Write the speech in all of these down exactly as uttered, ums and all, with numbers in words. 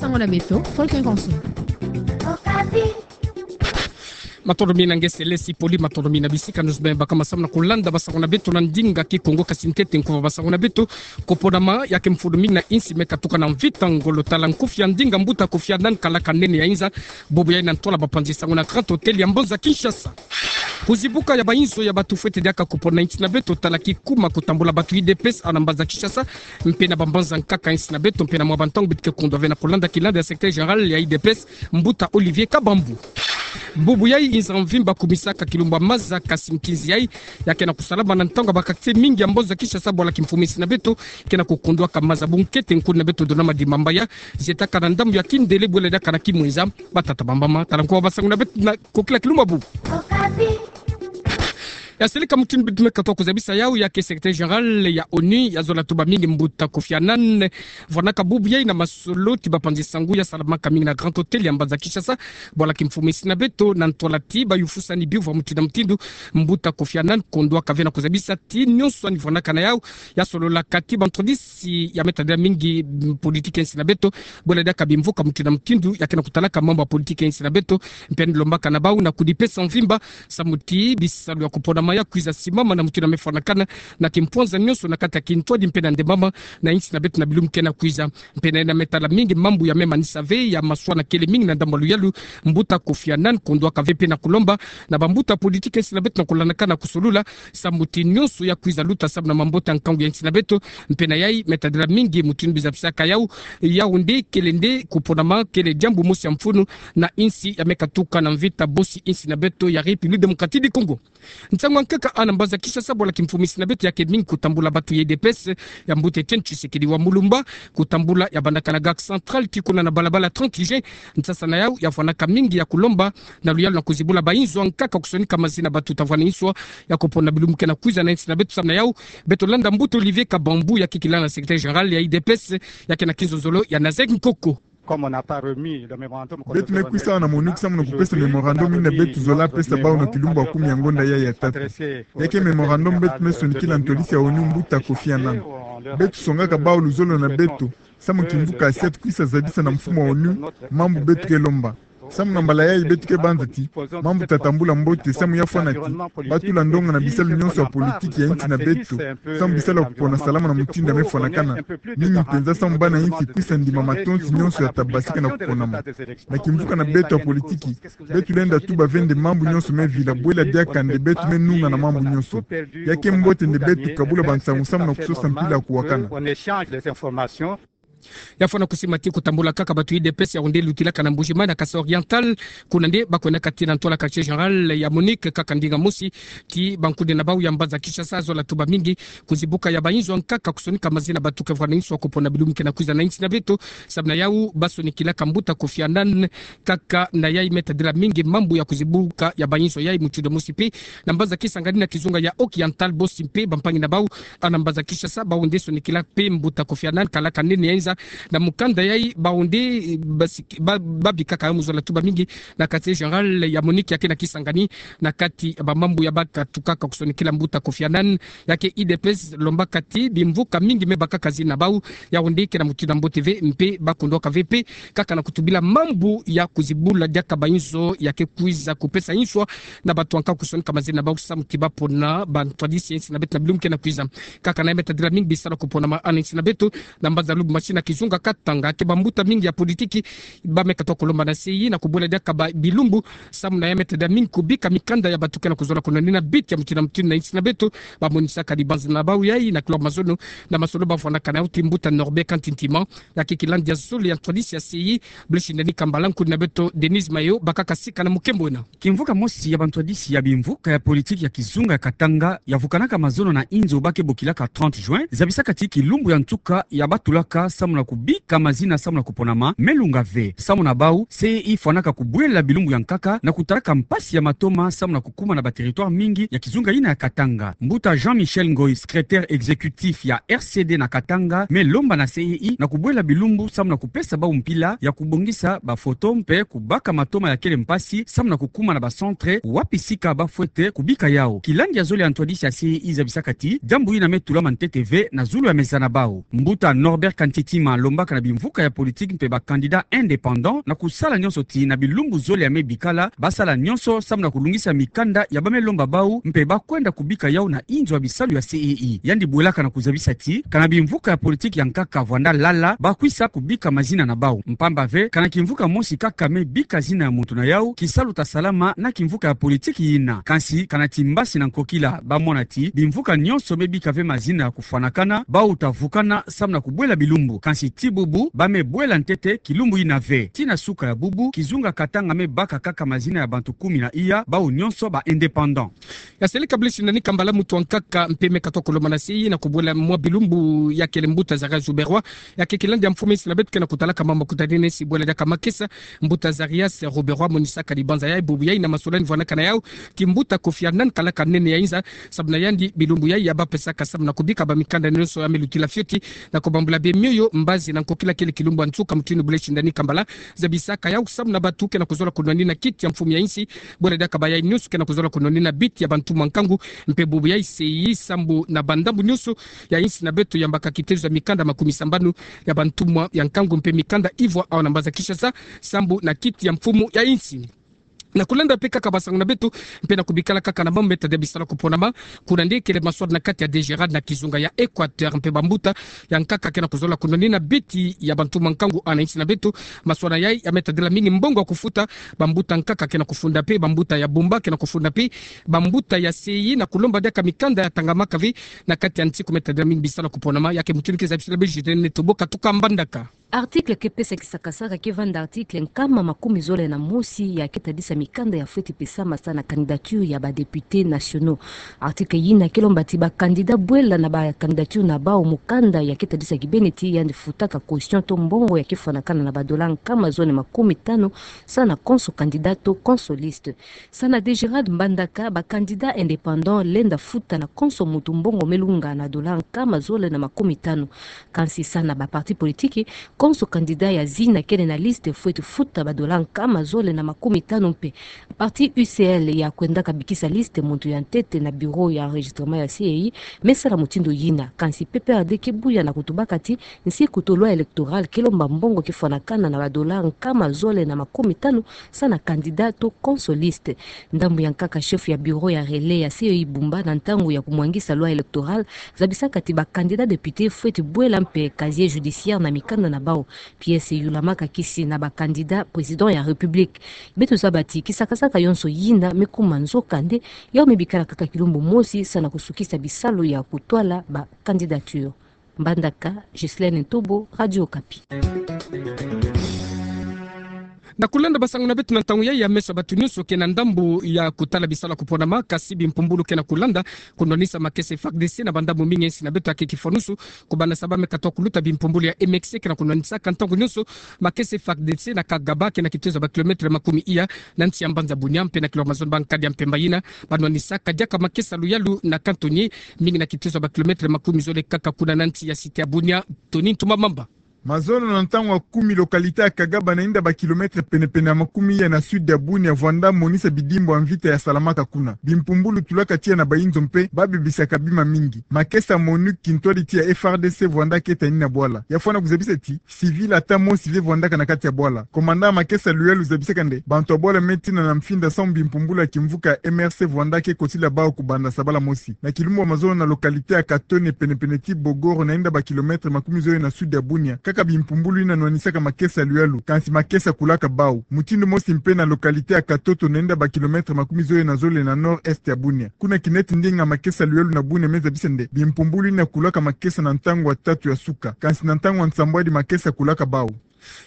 Sango na beto, Paul Kenkonso. Matondo mingi na nge Selesi Poli, matondo mingi na bisika nyonso bima baka masamu na kulanda basango na beto na ndinga Kikongo. Kasi ntete nkuba basango na beto, koponama ya ke mfunu mingi na insi me katuka na mvita ngolo tala nkufi ya ndinga mbuta Kofi Annan kalaka nene ya inza, bubu yai na ntwala bapanzi sango na Grand Hôtel ya mbanza Kinshasa. Kuzibuka ya bainzo ya bato fwete diaka kupona insi na beto tala kikuma kutambula bato U D P S ana mbanza Kinshasa, mpe na bambanza nkaka insi na beto, mpe na mwa bantango beto ke kundwa ve na kulanda kilanda ya secrétaire général ya U D P S, mbuta Olivier Kabambu. Bubu yai inza mvimba kumisaka kilumbu ya maza, kasi nkinzi yai ya ke na kusalama na ntango ya ba quartier mingi ya mbanza Kinshasa bwala kimfumu insi na beto ke na kukundwaka maza. Bunkete nkuni na beto Dona Madimba Mbaya zietaka na ndambu ya kindele bwela diaka na kimwenza. Batata, bamama, tala nkuba basango na beto na kokila kilumbu bubu. Ya seleka mutindu beto me katuka kuzabisa yau ya ke secrétaire général ya ONU ya zola tuba mingi mbuta Kofi Annan vwanaka bubu yai na masolo ti bapanzi sango ya salamaka mingi na Grand Hôtel ya mbanza Kinshasa bwala kimfumu insi na beto na ntwala ti bayufusani biuvu ya mutindu na mutindu. Mbuta Kofi Annan kundwaka ve na kuzabisa ti nyonso ani vwanaka na yau ya sololaka ti bantwadisi ya me tadila mingi, mm, politiki ya insi na beto bwela diaka bimvuka mutindu na mutindu ya ke na kutalaka mambu ya politiki ya insi na beto. Mpe ani lombaka na bau na kudipesa mvimba samu ti bisalu ya kuponama ya kwiza simama na mutindu ya me fwanakana na kimpwanza nyonso na kati ya kintwadi mpe na ndembama na insi na beto na bilumbu ke na kwiza. Mpe na yandi me tala mingi mambu ya me manisa ve ya maswa na kele mingi na ndambu ya luyalu, mbuta Kofi Annan kundwaka ve mpe na kulomba na bambuta politiki ya insi na beto na kulandaka na kusolula samu ti nyonso ya kwiza luta samu na mambote ya nkangu ya insi na beto. Mpe na yai me tadila mingi mutindu biza bisaka yau, yau nde kele nde kuponama kele diambu mosi ya mfunu na insi ya me katuka na mvita bosi insi na beto ya République Démocratique du Congo. Nsangu ya nkaka ana mbanza Kinshasa bwala kimfumu insi na beto ya ke mingi kutambula bato ya U D P S ya mbuta Étienne Tshisekedi wa Mulumba, kutambula ya bandaka na Gare Centrale tii kuna na balabala trente juin. Nsasa na yau ya vwanaka mingi ya kulomba na luyalu na kuzibula bainzo ya nkaka kusonika mazina bato ta vwana inswa ya kupona bilumbu ke na kwiza na insi na beto. Samu na yau beto landa mbuta Olivier Kabambu ya ke kilanda secrétaire général ya U D P S ya ke na kinzonzolo ya Nazek Nkoko. Beto me kwisa awa na MONUC samu na kupesa mémorandum ina beto zola pesa bau na kilumbu ya kumi ya ngonda yai ya tatu. Ya ke mémorandum beto me sonikila ntwadisi ya ONU mbuta Kofi Annan. Beto songaka bau luzolo na beto samu kimvuka sia tukwisa zabisa na mfumu wa ONU mambu beto ke lomba. Samu na mbala yai beto ke banza ti mambu ta tambula mbote samu ya fwana ti batula ndonga na bisalu nyonso ya politiki ya insi na beto samu bisalu ya kupona salama na mutindu ya me fwanakana, mingi mpenza samu bana insi kwisa ndima matonsi nyonso ya ta basika na kuponama. Na kimvuka na beto ya politiki, beto lenda tuba ve nde mambu nyonso me vila bwela diaka nde beto me nunga na mambu nyonso. Ya ke mbote nde beto kabula bansangu samu na kusosa mpila ya kuwakana. Ya fwana kusima ti kutambula kaka bato U D P S ya onde lutilaka na Mbuji-Mayi na Kasaï Oriental, kuna nde ba kwenaka ti na ntwala quartier général ya MONUC kaka ndinga mosi ti bankundi na bau ya mbanza Kinshasa zola tuba mingi kuzibuka ya bainzo ya nkaka kusonika mazina bato ke vwana inswa kupona bilumbu ke na kwiza na insi na beto. Samu na yau ba sonikilaka mbuta Kofi Annan kaka na yai me tadila mingi mambu ya kuzibuka ya bainzo yai mutindu mosi mpe na mbanza Kisangani na kizunga ya Oriental bosi mpe bampangi na bau ana mbanza Kinshasa, bau nde sonikila mpe mbuta Kofi Annan kalaka nene ya inza na mukanda yai, bau nde, eh, basiki-, ba-, babikaka yau mu zola tuba mingi na quartier général ya MONUC ya ke na Kisangani, na kati ya bamambu ya ba katukaka kusonikila mbuta Kofi Annan ya ke U D P S lombaka ti bimvuka mingi me bakaka zina bau, yau nde ke na mutindu ya mbote ve mpe ba kundwaka ve mpe kaka na kutubila mambu ya kuzibula diaka bainzo ya ke kwiza kupesa inswa na bato ya nkaka kusonika mazina bau samu ti ba pona bantwadisi ya insi na beto na bilumbu ke na kwiza. Kaka na yai me tadila mingi bisalu ya kuponama ana insi na beto na mbanza Lubumbashi na kizunga Katanga, ke bambuta mingi ya politiki ba me katuka kulomba na C I na kubwela diaka ba bilumbu samu na yai me tadila mingi kubika mikanda ya bato ke na kuzola kunwanina biti ya mutindu na mutindu na insi na beto. Ba monisaka dibanza na bau yai na kilombo mazono na masolo ba vwanaka na yau ti mbuta Norbert Kantintima ya ke kilandi ya zole ya ntwadisi ya C I, Blaise Ndani Kambala, nkundi na beto Denise Mayo bakaka sika na mukembo ena. Kimvuka mosi ya bantwadisi ya bimvuka ya politiki ya kizunga ya Katanga ya vukanaka mazono na inzo ba ke bokilaka trente juin, zabisaka ti kilumbu ya nsuka ya ba tulaka samu na kubika mazina samu na kuponama me lunga ve. Samu na bau, C I fwanaka kubwela bilumbu ya nkaka na kutalaka mpasi ya matoma samu na kukuma na ba territoire mingi ya kizunga ina ya Katanga. Mbuta Jean-Michel Ngoy, secrétaire exécutif ya R C D na Katanga, me lomba na C I na kubwela bilumbu samu na kupesa bau mpila ya kubongisa ba photo mpe kubaka matoma ya kele mpasi samu na kukuma na ba centre wapi sika ba fwete kubika yau. Kilandi ya zole ya ntwadisi ya C I zabisaka ti diambu ina me tulama ntete ve na zulu ya meza na bau. Mbuta Norbert Kantiti malombaka na bimvuka ya politiki mpe ba candidats indépendants na kusala nyonso tii na bilumbu zole ya me bikala, basala nyonso samu na kulungisa mikanda ya ba me lomba bau mpe bakwenda kubika yau na inzo ya bisalu ya C E I. Yandi bwelaka na kuzabisa tii, kana bimvuka ya politiki ya nkaka vwanda lala, bakwisa kubika mazina na bau. Mpamba ve, kana kimvuka mosi kaka me bika zina ya muntu na yau, kisalu ta salama na kimvuka ya politiki yina. Kansi, kana ti mbasi na nkokila, bamona tii, bimvuka nyonso me bika ve mazina ya kufwanakana, bau ta vukana samu na kubwela bilumbu. Kansi ti bubu, ba me bwela ntete kilumbu yina ve. Tii na suka ya bubu, Kizunga Katanga me baka kaka mazina ya bantu kumi na iya, bau nyonso ba indépendants. Ya seleka Blaise Ndani Kambala, mutu wa nkaka mpe me katuka kulomana C E I na kubwela mwa bilumbu ya kele mbuta Zarias Ruberwa, ya ke kilandi ya mfumu ya insi na beto ke na kutalaka mambu makutanina nsi bwela diaka makesa. Mbuta Zarias Ruberwa monisaka dibanza yai bubu yai na masolani vwanaka na yau kimbuta Kofi Annan, kalaka nene ya inza, samu na yandi bilumbu yai ya bapesaka samu na kubika ba mikanda nyonso ya me lutila fioti na kubambula bie mioyo, mbazi na nkokila. Kele kilumbu ya nsuka mutindu Blaise Ndani Kambala zabisaka yau samu na bantu ke na kuzola kunwanina kiti ya mfumu ya insi, bwela diaka bayai nyonso ke na kuzola kunwanina biti ya bantumwa nkangu, mpe bubu yai C E I sambu na bandambu nyonso ya insi na beto yambaka kitezo ya mikanda makumi sambanu ya bantumwa ya nkangu mpe mikanda ivwa awa na mbanza Kinshasa, sambu na kiti ya mfumu ya insi. Na kulanda mpe kaka basangu na beto, mpe na kubikala kaka na mambu me tadila bisalu ya kuponama, kuna nde kele maswala na kati ya DGRAD na kizunga ya Equateur, mpe bambuta ya nkaka ke na kuzola kunwanina biti ya bantumwa nkangu awa na insi na beto. Maswala yai ya me tadila mingi mbongo ya kufuta. Bambuta nkaka ke na kufunda mpe, bambuta ya bumba ke na kufunda mpe, bambuta ya C E I na kulomba diaka mikanda ya tangamaka ve na kati ya nsi ku me tadila mingi bisalu ya kuponama. Ya ke mutindu ke zabisila Blaise Ndani Tobo katuka Mbandaka. Article ke pesa kisakasaka ke vanda article nkama makumi zole na mosi ya ke tadisa mikanda ya fweti pesama sa na candidature ya ba députés nationaux. Article yina ke lomba ti ba candidats bwela na ba candidature na bau mukanda ya ke tadisa kibeni ti yandi futaka caution to mbongo ya ke fwanakana na ba dollars nkama zole makumi tanu sa na konso candidat to konso liste. Sa na DGRAD Mbandaka, ba candidats indépendants lenda futa na konso mutu mbongo me lunga na dollars nkama zole na makumi tanu. Kansi sa na ba partis politiques, konso candidat ya zina kele na liste fweti futa ba dollars nkama zole na makumi tanu mpe. Parti U C L ya kwendaka bikisa liste muntu ya ntete na bureau ya enregistrement ya C E I me sala mutindu yina. Kansi P P R D ke buya na kutubaka ti nsi kutu loi électoral ke lomba mbongo ke fwanakana na ba dollars nkama zole na makumi tanu sa na candidat to konso liste. Ndambu ya nkaka chef ya bureau ya relais ya C E I bumba na ntangu ya kumwangisa loi électoral zabisaka ti ba candidats députés fweti bwela mpe casier judiciaire na mikanda na bau. Pièce yulamaka kisi na ba candidats président ya République. Beto zaba ti kisakasaka yonso yina me kuma nzokande, yau me bikala kaka kilumbu mosi sa na kusukisa bisalu ya kutwala ba candidatures. Mbandaka, Ghislaine Ntobo, Radio Okapi. Na kulanda basangu na beto na ntangu yai, ya meso ya bantu nyonso ke na ndambu ya kutala bisalu ya kuponama, kasi bimpumbulu ke na kulanda kunwanisa makesa F A R D C na bandambu mingi ya insi na beto. Ya ke kifwanusu kubanda sa ba me katuka kuluta bimpumbulu ya M X C ke na kunwanisaka ntangu nyonso makesa F A R D C na Kagaba, ke na kitezo ya ba kilomètres makumi iya na nsi ya mbanza Bunia, mpe na kilomètres mazono ba nkadi ya mpemba yina banwanisaka diaka makesa luyalu na cantonnier, mingi na kitezo ya ba kilomètres makumi zole kaka kuna na nsi ya cité ya Bunia. Tony Ntuma Mamba. Mazono na ntangu ya kumi, localité ya Kagaba na inda ba kilomètres penepene ya makumi iya na sud ya Bunia, vwanda monisa bidimbu ya mvita ya salamaka kuna. Bimpumbulu tulaka tiya na bayinzo mpe babebisaka bima mingi. Makesa MONUC, kintwadi ti ya F A R D C, vwanda keta ni na bwala. Ya fwana kuzabisa ti civil ata mosi ve vwandaka na kati ya bwala. Commandant ya makesa luyalu zabisaka nde bantu ya bwala me tina na mfinda samu bimpumbulu ya kimvuka M R C vwanda ke kotila bau kubanda sabala mosi. Na kilumbu ya mazono, na localité ya Katone, penepene ti Bogoro, na inda ba kilomètres makumi zole na sud ya Bunia, kaka bimpumbulu yina nwanisaka makesa luyalu, kansi makesa kulaka bau. Mutindu mosi mpe na localité ya Katoto, na inda ba kilomètres makumi zole na zole na nord-est ya Bunia. Kuna kineti ndinga makesa luyalu na Bunia me zabisa nde bimpumbulu yina kulaka makesa na ntangu ya tatu ya suka, kansi na ntangu ya nsambwadi makesa kulaka bau.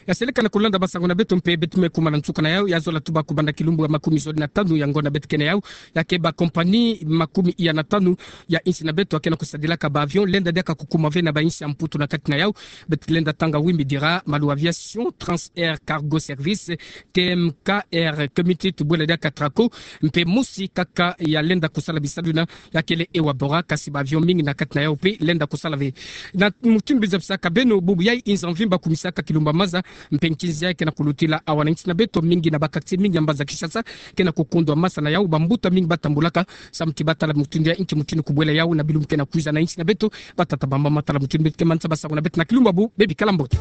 Ya seleka na kulanda basangu na beto mpe, beto me kuma na nsuka na yau. Ya zola tuba kubanda kilumbu ya makumi zole na tanu ya ngonda beto ke na yau, ya ke ba compagnie makumi iya na tanu ya insi na beto ya ke na kusadilaka ba avion lenda diaka kukuma ve na ba insi ya Mputu na kati na yau. Beto lenda tanga Wimbi Dira, Malu Aviation, Trans Air Cargo Service, T M K Air, Community, tubwela diaka Traco, mpe mosi kaka ya lenda kusala bisalu yina ya kele Ewabora, kasi ba avion mingi na kati na yau mpe lenda kusala ve. Na mutindu zabisaka beno, bubu yai inza mvimba kumisaka kilumbu ya Kinshasa, mpe nkinzi ke na kulutila awa na nsi na beto, mingi na bakakti mingi ya mbanza Kinshasa ke na kukundwa masa na yau, bambuta mingi batambulaka, samu ti batala mutindu ya nki mutindu kubwela yau na bilumbu ke na kwiza na nsi na beto, batata bambata tala mutindu beto ke mansa ba sago na beto na kilumbu abu, bebi kala mbote.